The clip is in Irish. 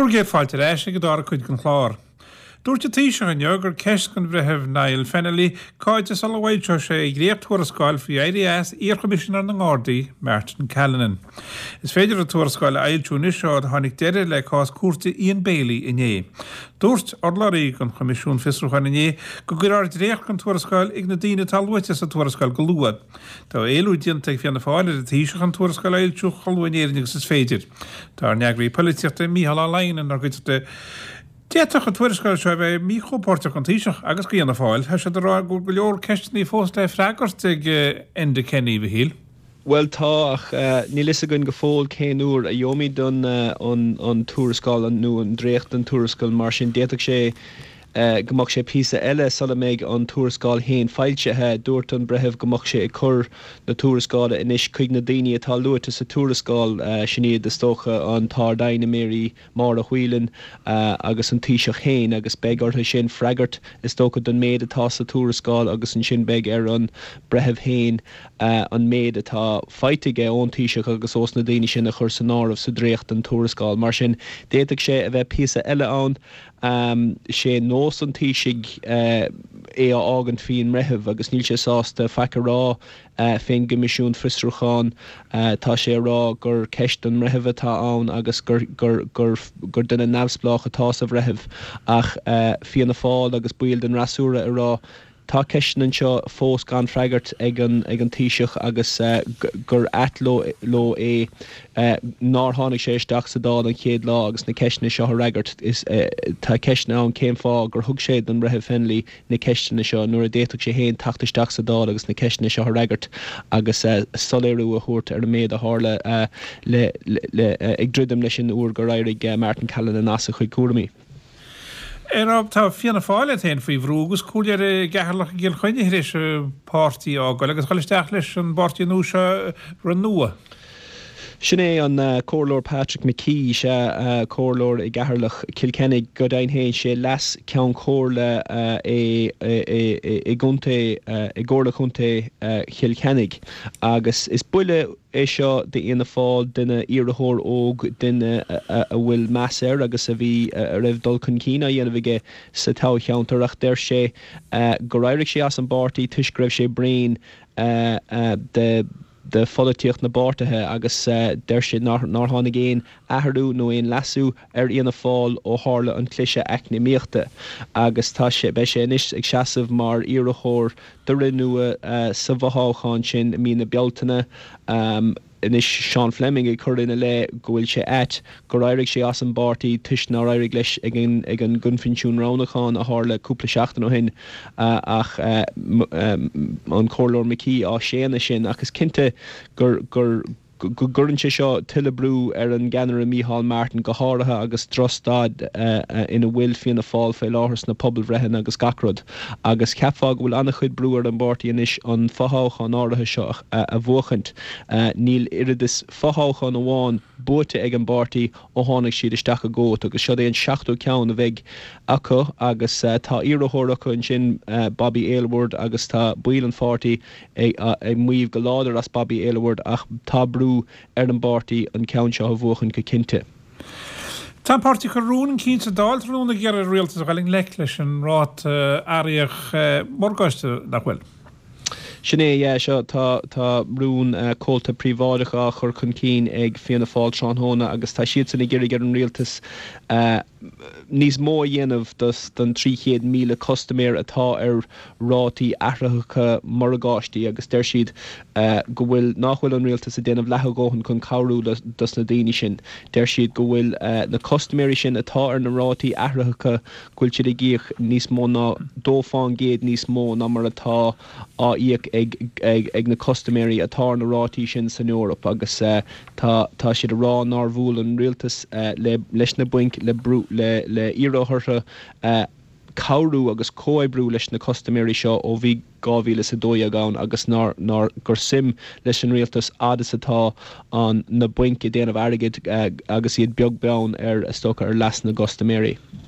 Bhur gcéad fáilte ar ais ag an dara cuid den chlár. Dúirt an Taoiseach inniu gur ceist don Bhreitheamh Niall Fennelly cáide sula bhfoilseoidh sé a dhréacht-thuarascáil faoi éirí as iar-Choimisinéir na nGardaí, Martin Callinan. Is féidir an tuarascáil a fhoilsiú anois ó tháinig deireadh le cás cúirte Ian Bailey inné. Dúirt urlabhraí don Choimisiún Fiosrúcháin inné go gcuirfear dréacht den tuarascáil ag na daoine atá luaite sa tuarascáil go luath. Tá éileamh déanta ag Fianna Fáil ar an Taoiseach an tuarascáil a fhoilsiú chomh luath in Éirinn agus is féidir. Tá ár n-eagraí polaitíochta Mícheál Ó Laighin inár gcuideachta. D'fhéadfadh an tuarascáil seo a bheith míchompóirteach don Taoiseach agus do Fhianna Fáil. Tá siad ag rá go bhfuil go leor ceisteanna fós le freagairt ag Enda Kenny, a Mhichíl. Bhuel tá, ach níl fhios againn go fóill cén uair a gheobhaimid an tuarascáil nó an dréacht den tuarascáil, mar sin d'fhéadfadh sé go mbeadh sé píosa eile sula mbeidh an tuarascáil féin foilsithe. Dúirt an breitheamh go mbeadh sé ag cur na tuarascála anois chuig na daoine atá luaite sa tuarascáil, sin iad is dócha an tArd-Aighne Mary Máire Whelan agus an Taoiseach féin, agus beidh orthu sin freagairt is dócha don méid atá sa tuarascáil agus ansin beidh ar an breitheamh féin an méid atá faighte aige ón Taoiseach agus ós na daoine sin a chur san áireamh sa dréacht den tuarascáil. Mar sin d'fhéadfadh sé a bheith píosa eile ann. Sé nós an Taoisigh é a fhágaint faoin mbreitheamh agus níl sé sásta faic a rá fén gCoimisiún Fiosrúcháin. Tá sé a rá gur ceist don mbreitheamh atá ann agus gur gur duine neamhspleách atá sa bhreitheamh. Ach Fianna Fáil agus baill den fhreasúra ag rá Tá ceisteanna anseo fós gan freagairt ag an ag an Taoiseach agus gur ait leo é nár tháinig sé isteach sa Dáil an chéad lá agus na ceisteanna seo a fhreagairt. Tá ceisteanna ann cén fáth gur thug sé don Bhreitheamh Fennelly na ceisteanna seo nuair a d'fhéadfadh sé féin teacht isteach sa Dáil agus na ceisteanna seo a fhreagairt agus soiléiriú a thabhairt ar an méid a tharla le le ag druidim leis an uair gur éirigh Martin Callinan as a chuid cúraimí. A Rob, tá Fianna Fáil iad féin faoi bhrú agus comhairleoir i gCeatharlach i gCill Chainnigh tar éis an páirtí a fhágáil agus dhul isteach leis an bpáirtí nua seo, Renua. Sin é an Comhairleoir Patrick McKee, sea, comhairleoir i gCeatharlach, Cill Chainnigh. Go deimhin féin, sé leas Ceann Comhairle é i gcontae, i gComhairle Chontae Chill Chainnigh. Agus is buille é seo d'Fhianna Fáil, duine, iarrthóir óg, duine a bhfuil meas air agus a bhí, a raibh dul chun cinn á dhéanamh aige sa toghcheantar ach deir sé gur éirigh sé as an bpáirtí toisc go raibh sé bréan de de pholaitíocht na bpáirtithe agus deir sé nár tháinig aon athrú nó aon leasú ar Fhianna Fáil ó tharla an cliseadh eacnamaíochta agus tá sé, beidh sé anois ag seasamh mar iarrthóir do Renua sa bhfothoghchán sin i mí na Bealtaine. Anois Seán Fleming ag cur ina leith go bhfuil sé ait gur éirigh sé as an bpáirtí toisc nár éirigh leis ag an ag an gcoinbhinsiún roghnúcháin a tharla cúpla seachtain ó shin ach an Comhairleoir McKee á séanadh sin ach is cinnte gur gur go gcuireann sé seo tuilleadh brú ar an gceannaire Micheál Martin, go háirithe agus drochstaid ina bhfuil Fianna Fáil faoi láthair sna pobalbhreitheanna agus gach rud. Agus cheapfá go bhfuil an-chuid brú ar an bpáirtí anois an fothoghchán áirithe seo a bhuachaint. Níl oiread is fothoghchán amháin buaite ag an bpáirtí ó tháinig siad isteach i gcumhacht agus seod é an seachtú ceann a bheidh acu agus tá iarrthóir acu ansin, Bobby Aylward, agus tá baill an pháirtí ag maíomh go láidir as Bobby Aylward ach tá brú ar an bpáirtí an ceann seo a bhuachan go cinnte. Tá an páirtí ag cur rún chun cinn sa Dáil tráthnóna ag iarraidh ar an rialtas a dhul i ngleic leis an ráta athraitheach morgáiste, nach bhfuil? Sin é, yeah, seo, tá, tá rún comhalta príobháideach á chur chun cinn ag Fianna Fáil tráthnóna agus tá siadsan ag iarraidh ar an rialtas níos mó a dhéanamh dos don 300,000 custaiméir atá ar rátaí athraitheacha morgáistí agus deir siad go bhfuil, nach bhfuil an rialtas ag déanamh leath a dhóthain chun cabhrú dos na daoine sin. Deir siad go bhfuil na custaiméirí sin atá ar na rátaí athraitheacha, go bhfuil siad ag íoc níos mó ná dó fán gcéad níos mó ná mar atá á íoc ag ag na custaiméirí atá ar na rátaí sin san Eoraip agus tá tá siad ag rá nár bhuail an rialtas le leis na bainc le brú le le iarraidh orthu cabhrú agus comhoibriú leis na custaiméirí seo ó bhí 2012 ann agus nár nár gur suim leis an rialtas fhad is atá an na bainc ag déanamh airgid agus iad beag beann ar is dócha ar leas na gcustaiméirí.